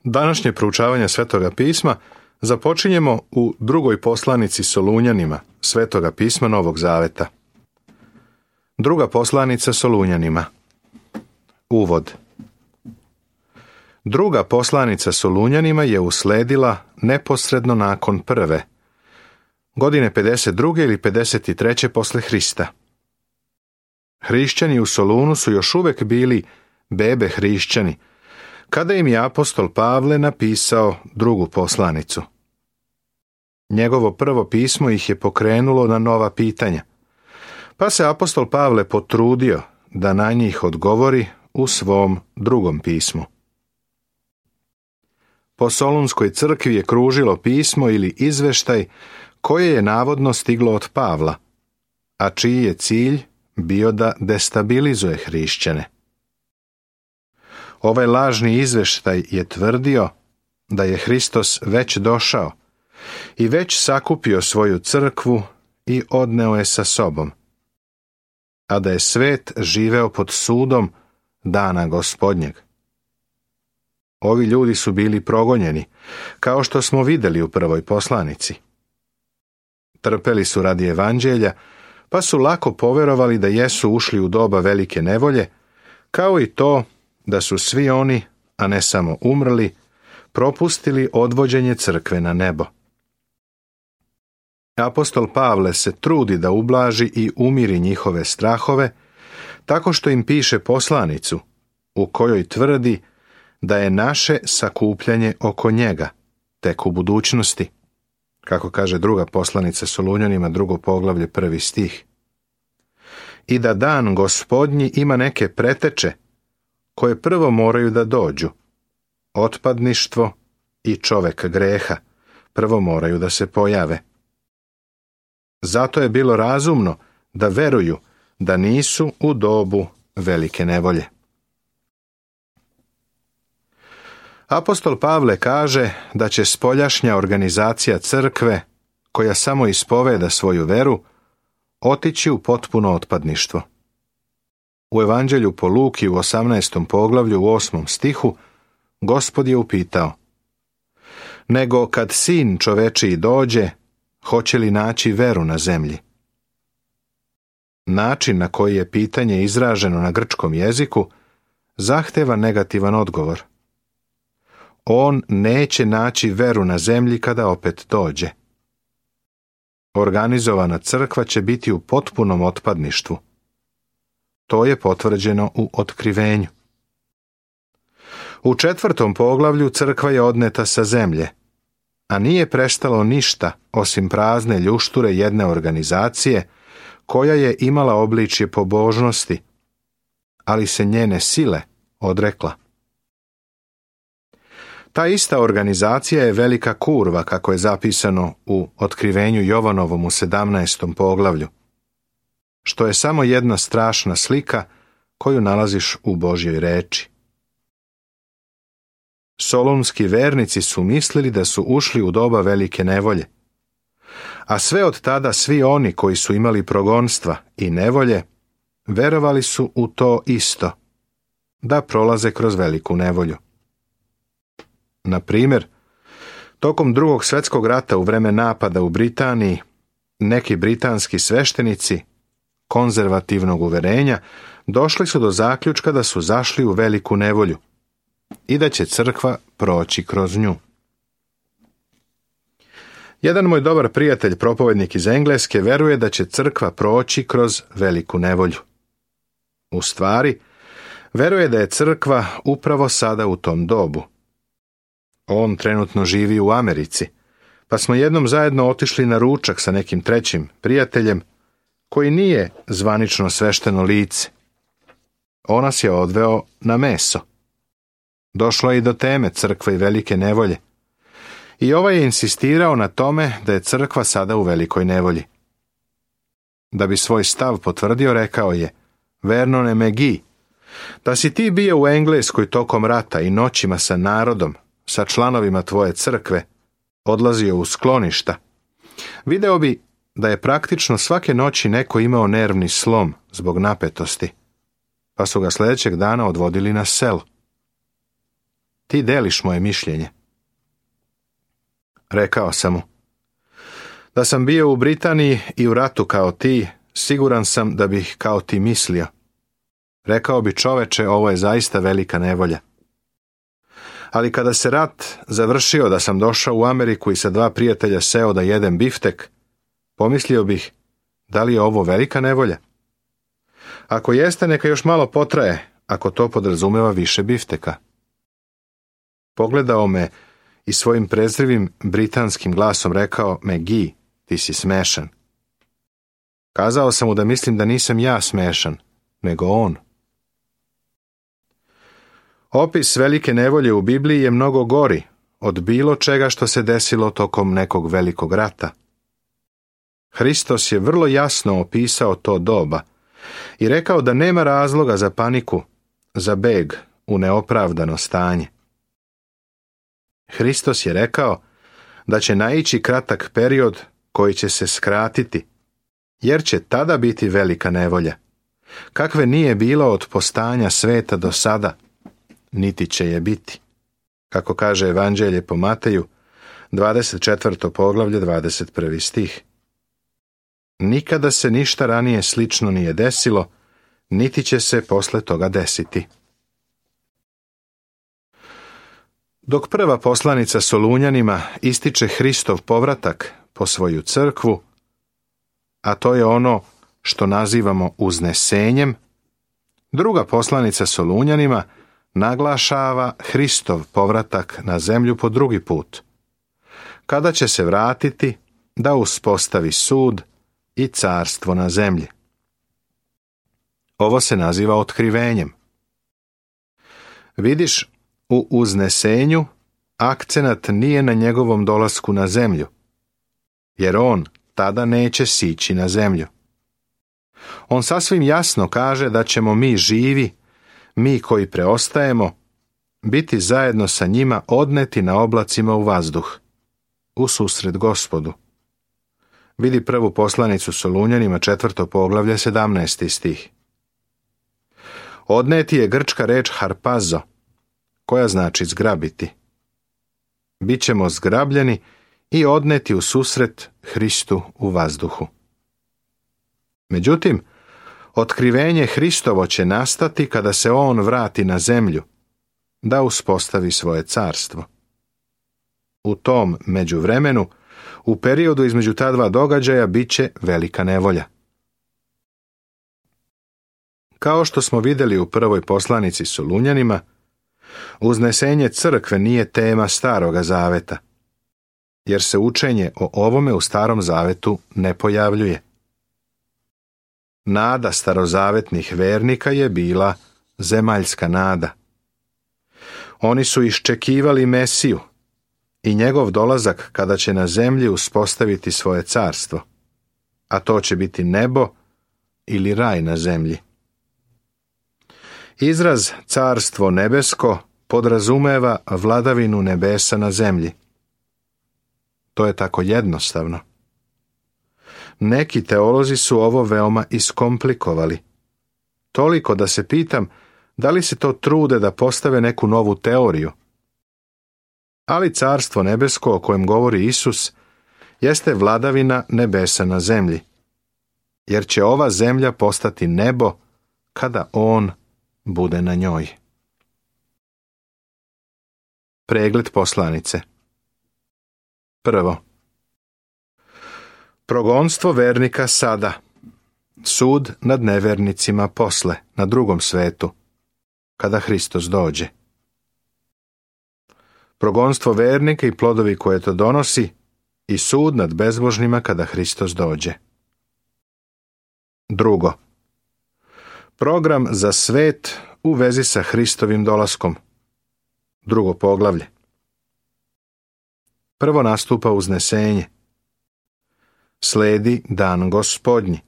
Današnje proučavanje Svetoga pisma započinjemo u drugoj poslanici Solunjanima, Svetoga pisma Novog Zaveta. Druga poslanica Solunjanima. Uvod. Druga poslanica Solunjanima je usledila neposredno nakon prve, godine 52. ili 53. posle Hrista. Hrišćani u Solunu su još uvek bili bebe hrišćani, kada im je apostol Pavle napisao drugu poslanicu. Njegovo prvo pismo ih je pokrenulo na nova pitanja, pa se apostol Pavle potrudio da na njih odgovori u svom drugom pismu. Po Solunskoj crkvi je kružilo pismo ili izveštaj koje je navodno stiglo od Pavla, a čiji je cilj bio da destabilizuje hrišćane. Ovaj lažni izveštaj je tvrdio da je Hristos već došao i već sakupio svoju crkvu i odneo je sa sobom, a da je svet živeo pod sudom dana Gospodnjeg. Ovi ljudi su bili progonjeni, kao što smo vidjeli u prvoj poslanici. Trpeli su radi evanđelja, pa su lako poverovali da jesu ušli u doba velike nevolje, kao i to da su svi oni, a ne samo umrli, propustili odvođenje crkve na nebo. Apostol Pavle se trudi da ublaži i umiri njihove strahove, tako što im piše poslanicu, u kojoj tvrdi da je naše sakupljanje oko njega, tek u budućnosti, kako kaže druga poslanica Solunjanima, 2. poglavlje, 1. stih. I da dan Gospodnji ima neke preteče, koje prvo moraju da dođu. Otpadništvo i čovek greha prvo moraju da se pojave. Zato je bilo razumno da veruju da nisu u dobu velike nevolje. Apostol Pavle kaže da će spoljašnja organizacija crkve, koja samo ispoveda svoju veru, otići u potpuno otpadništvo. U Evanđelju po Luki u 18. poglavlju u 8. stihu Gospod je upitao: nego kad sin čovečiji dođe, hoće li naći veru na zemlji? Način na koji je pitanje izraženo na grčkom jeziku zahteva negativan odgovor. On neće naći veru na zemlji kada opet dođe. Organizovana crkva će biti u potpunom otpadništvu. To je potvrđeno u Otkrivenju. U 4. poglavlju crkva je odneta sa zemlje, a nije prestalo ništa osim prazne ljušture jedne organizacije koja je imala obličje pobožnosti, ali se njene sile odrekla. Ta ista organizacija je velika kurva, kako je zapisano u Otkrivenju Jovanovom u 17. poglavlju, što je samo jedna strašna slika koju nalaziš u Božjoj reči. Solunski vernici su mislili da su ušli u doba velike nevolje, a sve od tada svi oni koji su imali progonstva i nevolje verovali su u to isto, da prolaze kroz veliku nevolju. Na primjer, tokom Drugog svjetskog rata u vreme napada u Britaniji, neki britanski sveštenici konzervativnog uverenja došli su do zaključka da su zašli u veliku nevolju i da će crkva proći kroz nju. Jedan moj dobar prijatelj, propovednik iz Engleske, veruje da će crkva proći kroz veliku nevolju. U stvari, veruje da je crkva upravo sada u tom dobu. On trenutno živi u Americi, pa smo jednom zajedno otišli na ručak sa nekim trećim prijateljem, koji nije zvanično svešteno lice. On nas je odveo na meso. Došlo je i do teme crkve i velike nevolje. I ovaj je insistirao na tome da je crkva sada u velikoj nevolji. Da bi svoj stav potvrdio, rekao je: Vernone McGee, da si ti bio u Engleskoj tokom rata i noćima sa narodom, sa članovima tvoje crkve, odlazio u skloništa, video bi da je praktično svake noći neko imao nervni slom zbog napetosti, pa su ga sljedećeg dana odvodili na selo. ti deliš moje mišljenje. Rekao sam mu, da sam bio u Britaniji i u ratu kao ti, siguran sam da bih kao ti mislio. Rekao bi, čoveče, ovo je zaista velika nevolja. Ali kada se rat završio, da sam došao u Ameriku i sa 2 prijatelja seo da jedem biftek, pomislio bih, da li je ovo velika nevolja? Ako jeste, neka još malo potraje, ako to podrazumeva više bifteka. Pogledao me i svojim prezrivim britanskim glasom rekao, McGee, ti si smešan. Kazao sam mu da mislim da nisam ja smešan, nego on. Opis velike nevolje u Bibliji je mnogo gori od bilo čega što se desilo tokom nekog velikog rata. Hristos je vrlo jasno opisao to doba i rekao da nema razloga za paniku, za beg u neopravdano stanje. Hristos je rekao da će naići kratak period koji će se skratiti, jer će tada biti velika nevolja, kakve nije bilo od postanja sveta do sada, niti će je biti. Kako kaže Evanđelje po Mateju, 24. poglavlje, 21. stih. Nikada se ništa ranije slično nije desilo, niti će se posle toga desiti. Dok prva poslanica Solunjanima ističe Hristov povratak po svoju crkvu, a to je ono što nazivamo uznesenjem, druga poslanica Solunjanima naglašava Hristov povratak na zemlju po drugi put, kada će se vratiti da uspostavi sud i carstvo na zemlji. Ovo se naziva otkrivenjem. Vidiš, u uznesenju akcenat nije na njegovom dolasku na zemlju, jer on tada neće sići na zemlju. On sasvim jasno kaže da ćemo mi živi, mi koji preostajemo, biti zajedno sa njima odneti na oblacima u vazduh, u susret Gospodu. Vidi prvu poslanicu Solunjanima, 4. poglavlje, 17. stih. Odneti je grčka reč harpazo, koja znači zgrabiti. Bićemo zgrabljeni i odneti u susret Hristu u vazduhu. Međutim, otkrivenje Hristovo će nastati kada se on vrati na zemlju, da uspostavi svoje carstvo. U tom međuvremenu, u periodu između ta dva događaja, bit će velika nevolja. Kao što smo vidjeli u prvoj poslanici Solunjanima, uznesenje crkve nije tema Staroga zaveta, jer se učenje o ovome u Starom zavetu ne pojavljuje. Nada starozavetnih vernika je bila zemaljska nada. Oni su iščekivali Mesiju i njegov dolazak kada će na zemlji uspostaviti svoje carstvo, a to će biti nebo ili raj na zemlji. Izraz carstvo nebesko podrazumeva vladavinu nebesa na zemlji. To je tako jednostavno. Neki teolozi su ovo veoma iskomplikovali. Toliko da se pitam da li se to trude da postave neku novu teoriju. Ali carstvo nebesko o kojem govori Isus jeste vladavina nebesa na zemlji, jer će ova zemlja postati nebo kada on bude na njoj. Pregled poslanice. Prvo. Progonstvo vernika sada. Sud nad nevernicima posle, na drugom svetu, kada Hristos dođe. Progonstvo vernika i plodovi koje to donosi i sud nad bezbožnima kada Hristos dođe. Drugo. Program za svet u vezi sa Hristovim dolaskom. Drugo poglavlje. Prvo nastupa uznesenje. Sledi dan Gospodnji.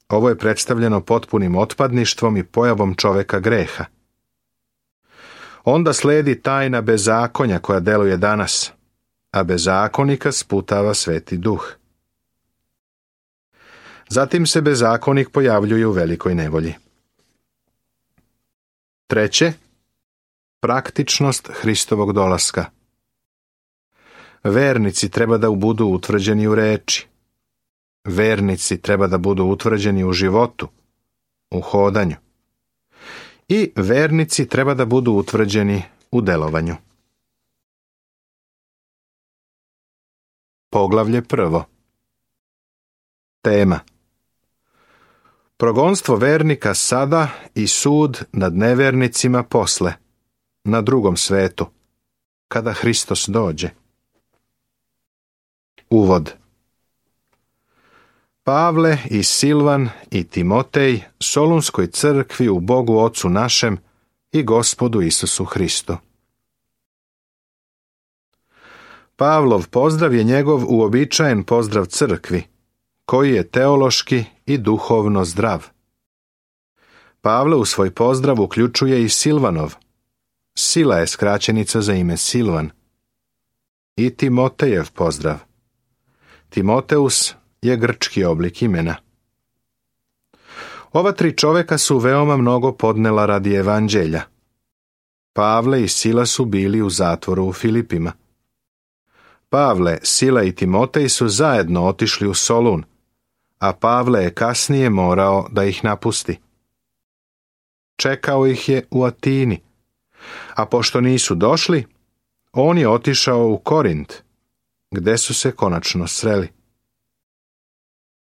Ovo je predstavljeno potpunim otpadništvom i pojavom čoveka greha. Onda sledi tajna bezakonja koja deluje danas, a bezakonika sputava Sveti Duh. Zatim se bezakonik pojavljuje u velikoj nevolji. Treće, Praktičnost Hristovog dolaska. Vernici treba da budu utvrđeni u reči. Vernici treba da budu utvrđeni u životu, u hodanju. I vernici treba da budu utvrđeni u delovanju. Poglavlje 1. Tema: progonstvo vernika sada i sud nad nevernicima posle, na drugom svetu, kada Hristos dođe. Uvod. Pavle i Silvan i Timotej Solunskoj crkvi u Bogu Ocu našem i Gospodu Isusu Hristu. Pavlov pozdrav je njegov uobičajen pozdrav crkvi, koji je teološki i duhovno zdrav. Pavle u svoj pozdrav uključuje i Silvanov. Sila je skraćenica za ime Silvan. I Timotejev pozdrav. Timoteus je grčki oblik imena. Ova tri čoveka su veoma mnogo podnela radi evanđelja. Pavle i Sila su bili u zatvoru u Filipima. Pavle, Sila i Timotej su zajedno otišli u Solun, a Pavle je kasnije morao da ih napusti. Čekao ih je u Atini, a pošto nisu došli, on je otišao u Korint, gde su se konačno sreli.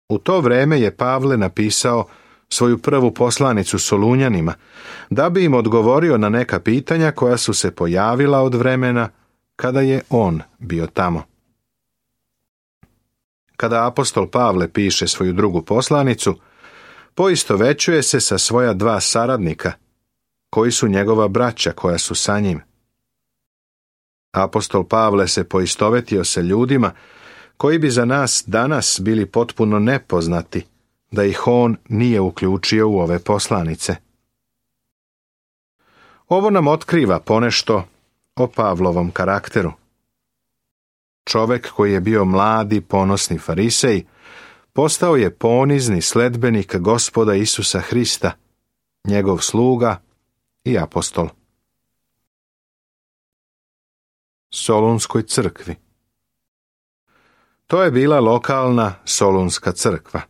U to vreme je Pavle napisao svoju prvu poslanicu Solunjanima, da bi im odgovorio na neka pitanja koja su se pojavila od vremena kada je on bio tamo. Kada apostol Pavle piše svoju drugu poslanicu, poistovećuje se sa svoja dva saradnika, koji su njegova braća koja su sa njim. Apostol Pavle se poistovetio sa ljudima koji bi za nas danas bili potpuno nepoznati, da ih on nije uključio u ove poslanice. Ovo nam otkriva ponešto o Pavlovom karakteru. Čovek koji je bio mladi, ponosni farisej, postao je ponizni sledbenik Gospoda Isusa Hrista, njegov sluga i apostol. Solunskoj crkvi. To je bila lokalna Solunska crkva.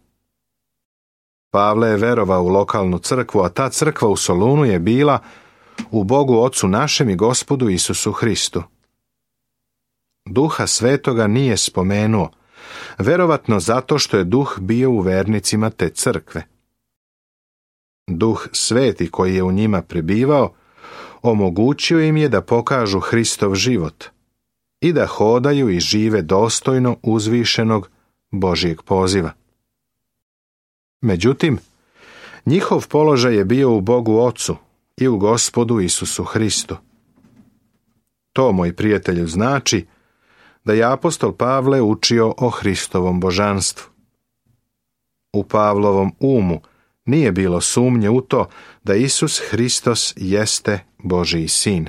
Pavle je verovao u lokalnu crkvu, a ta crkva u Solunu je bila u Bogu Ocu našem i Gospodu Isusu Hristu. Duha Svetoga nije spomenuo, verovatno zato što je Duh bio u vernicima te crkve. Duh Sveti koji je u njima prebivao, omogućio im je da pokažu Hristov život i da hodaju i žive dostojno uzvišenog Božijeg poziva. Međutim, njihov položaj je bio u Bogu Ocu i u Gospodu Isusu Hristu. To, moj prijatelju, znači da je apostol Pavle učio o Hristovom božanstvu. U Pavlovom umu nije bilo sumnje u to da Isus Hristos jeste Božiji sin.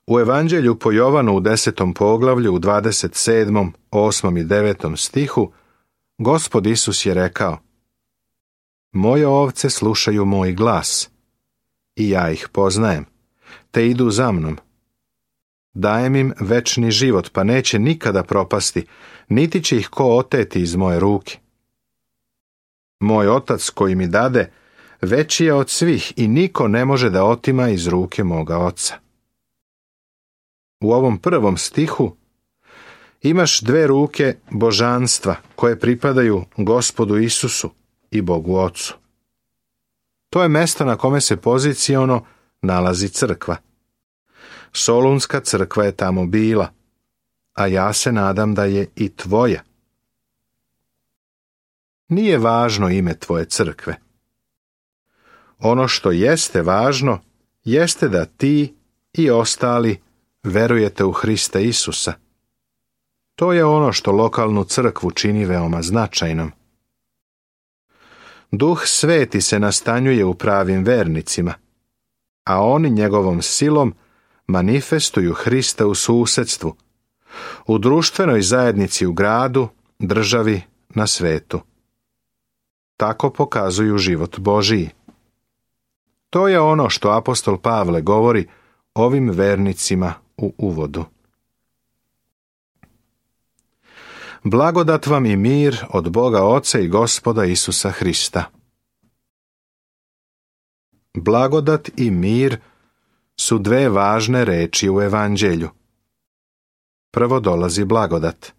U Evanđelju po Jovanu u 10. poglavlju u 27., 8. i 9. stihu Gospod Isus je rekao: moje ovce slušaju moj glas i ja ih poznajem, te idu za mnom. Dajem im večni život, pa neće nikada propasti, niti će ih ko oteti iz moje ruke. Moj otac koji mi dade, veći je od svih i niko ne može da otima iz ruke moga oca. U ovom prvom stihu imaš dve ruke božanstva koje pripadaju Gospodu Isusu i Bogu Ocu. To je mesto na kome se poziciono nalazi crkva. Solunska crkva je tamo bila, a ja se nadam da je i tvoja. Nije važno ime tvoje crkve. Ono što jeste važno, jeste da ti i ostali verujete u Hrista Isusa. To je ono što lokalnu crkvu čini veoma značajnom. Duh Sveti se nastanjuje u pravim vernicima, a oni njegovom silom manifestuju Hrista u susedstvu, u društvenoj zajednici u gradu, državi, na svetu. Tako pokazuju život Božiji. To je ono što apostol Pavle govori ovim vernicima u uvodu. Blagodat vam i mir od Boga Oca i Gospoda Isusa Hrista. Blagodat i mir su dve važne reči u evanđelju. Prvo dolazi blagodat.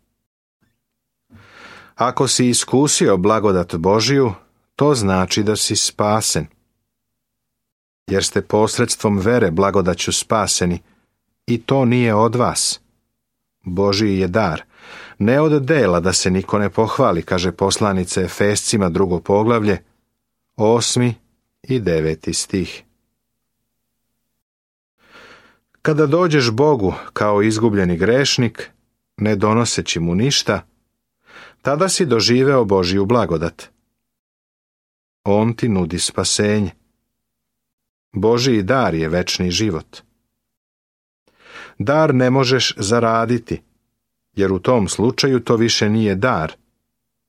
Ako si iskusio blagodat Božiju, to znači da si spasen. Jer ste posredstvom vere blagodaću spaseni, i to nije od vas. Božiji je dar, ne od dela da se niko ne pohvali, kaže poslanica Efescima 2. poglavlje, 8. i 9. stih. Kada dođeš Bogu kao izgubljeni grešnik, ne donoseći mu ništa, tada si doživeo Božiju blagodat. On ti nudi spasenje. Božiji dar je večni život. Dar ne možeš zaraditi, jer u tom slučaju to više nije dar,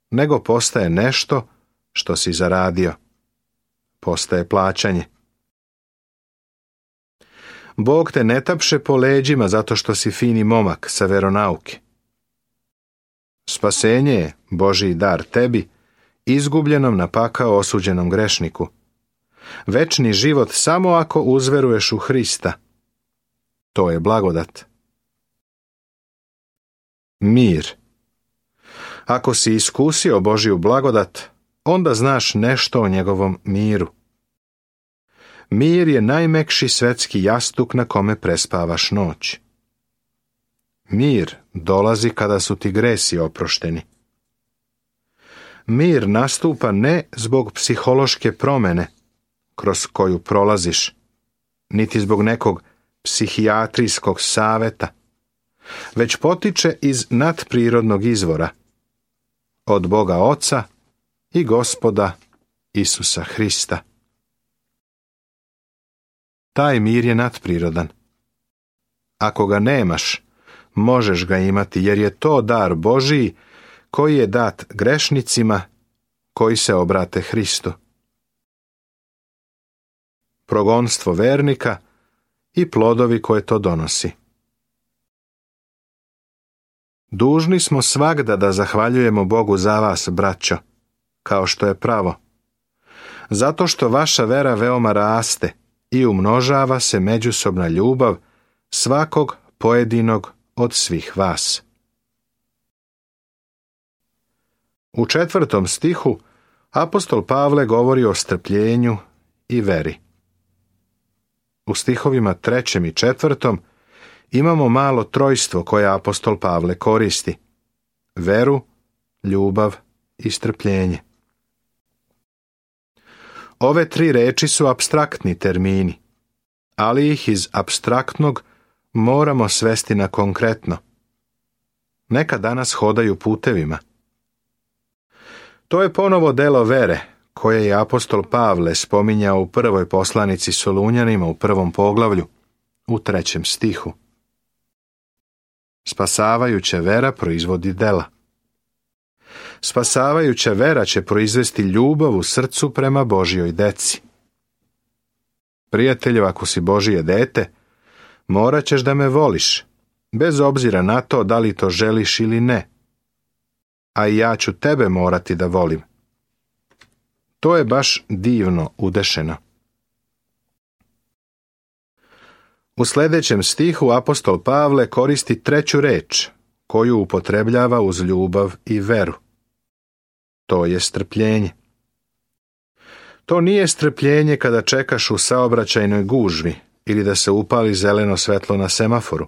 nego postaje nešto što si zaradio. Postaje plaćanje. Bog te ne tapše po leđima zato što si fini momak sa veronauke. Spasenje je Božji dar tebi, izgubljenom na pakao osuđenom grešniku. Večni život samo ako uzveruješ u Hrista. To je blagodat. Mir. Ako si iskusio Božju blagodat, onda znaš nešto o njegovom miru. Mir je najmekši svetski jastuk na kome prespavaš noć. Mir dolazi kada su ti gresi oprošteni. Mir nastupa ne zbog psihološke promene kroz koju prolaziš, niti zbog nekog psihijatrijskog saveta, već potiče iz nadprirodnog izvora, od Boga Oca i Gospoda Isusa Hrista. Taj mir je nadprirodan. Ako ga nemaš, možeš ga imati, jer je to dar Božiji koji je dat grešnicima koji se obrate Hristu. Progonstvo vernika i plodovi koje to donosi. Dužni smo svagda da zahvaljujemo Bogu za vas, braćo, kao što je pravo, zato što vaša vera veoma raste i umnožava se međusobna ljubav svakog pojedinog od svih vas. U 4. stihu apostol Pavle govori o strpljenju i veri. U stihovima 3. i 4. imamo malo trojstvo koje apostol Pavle koristi: veru, ljubav i strpljenje. Ove tri reči su apstraktni termini, ali ih iz apstraktnog moramo svesti na konkretno. Neka danas hodaju putevima. To je ponovo delo vere, koje je apostol Pavle spominjao u prvoj poslanici Solunjanima u 1. poglavlju, u 3. stihu. Spasavajuća vera proizvodi dela. Spasavajuća vera će proizvesti ljubav u srcu prema Božjoj deci. Prijatelju, ako si Božje dete, morat ćeš da me voliš, bez obzira na to da li to želiš ili ne. A i ja ću tebe morati da volim. To je baš divno udešeno. U sljedećem stihu apostol Pavle koristi treću reč, koju upotrebljava uz ljubav i veru. To je strpljenje. To nije strpljenje kada čekaš u saobraćajnoj gužvi ili da se upali zeleno svetlo na semaforu.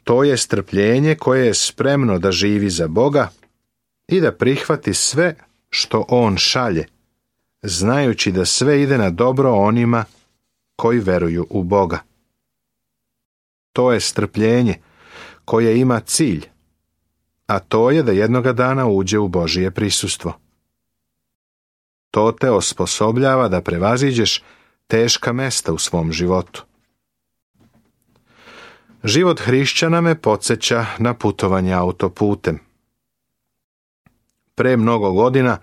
To je strpljenje koje je spremno da živi za Boga i da prihvati sve što On šalje, znajući da sve ide na dobro onima koji veruju u Boga. To je strpljenje koje ima cilj, a to je da jednoga dana uđe u Božje prisustvo. To te osposobljava da prevaziđeš teška mesta u svom životu. Život hrišćana me podsjeća na putovanje autoputem. Pre mnogo godina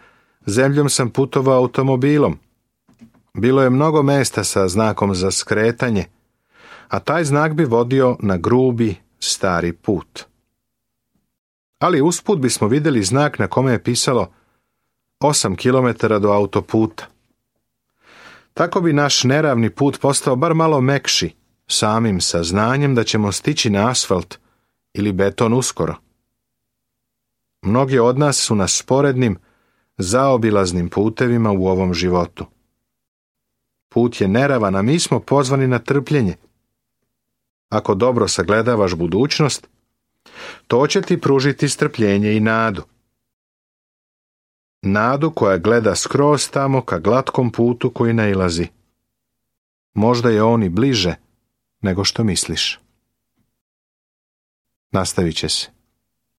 zemljom sam putovao automobilom. Bilo je mnogo mesta sa znakom za skretanje, a taj znak bi vodio na grubi, stari put. Ali usput bismo vidjeli znak na kome je pisalo 8 km do autoputa. Tako bi naš neravni put postao bar malo mekši, samim saznanjem da ćemo stići na asfalt ili beton uskoro. Mnogi od nas su na sporednim, zaobilaznim putevima u ovom životu. Put je neravan, a mi smo pozvani na trpljenje. Ako dobro sagledavaš budućnost, to će ti pružiti strpljenje i nadu. Nadu koja gleda skroz tamo ka glatkom putu koji nailazi. Možda je on i bliže nego što misliš. Nastavit će se.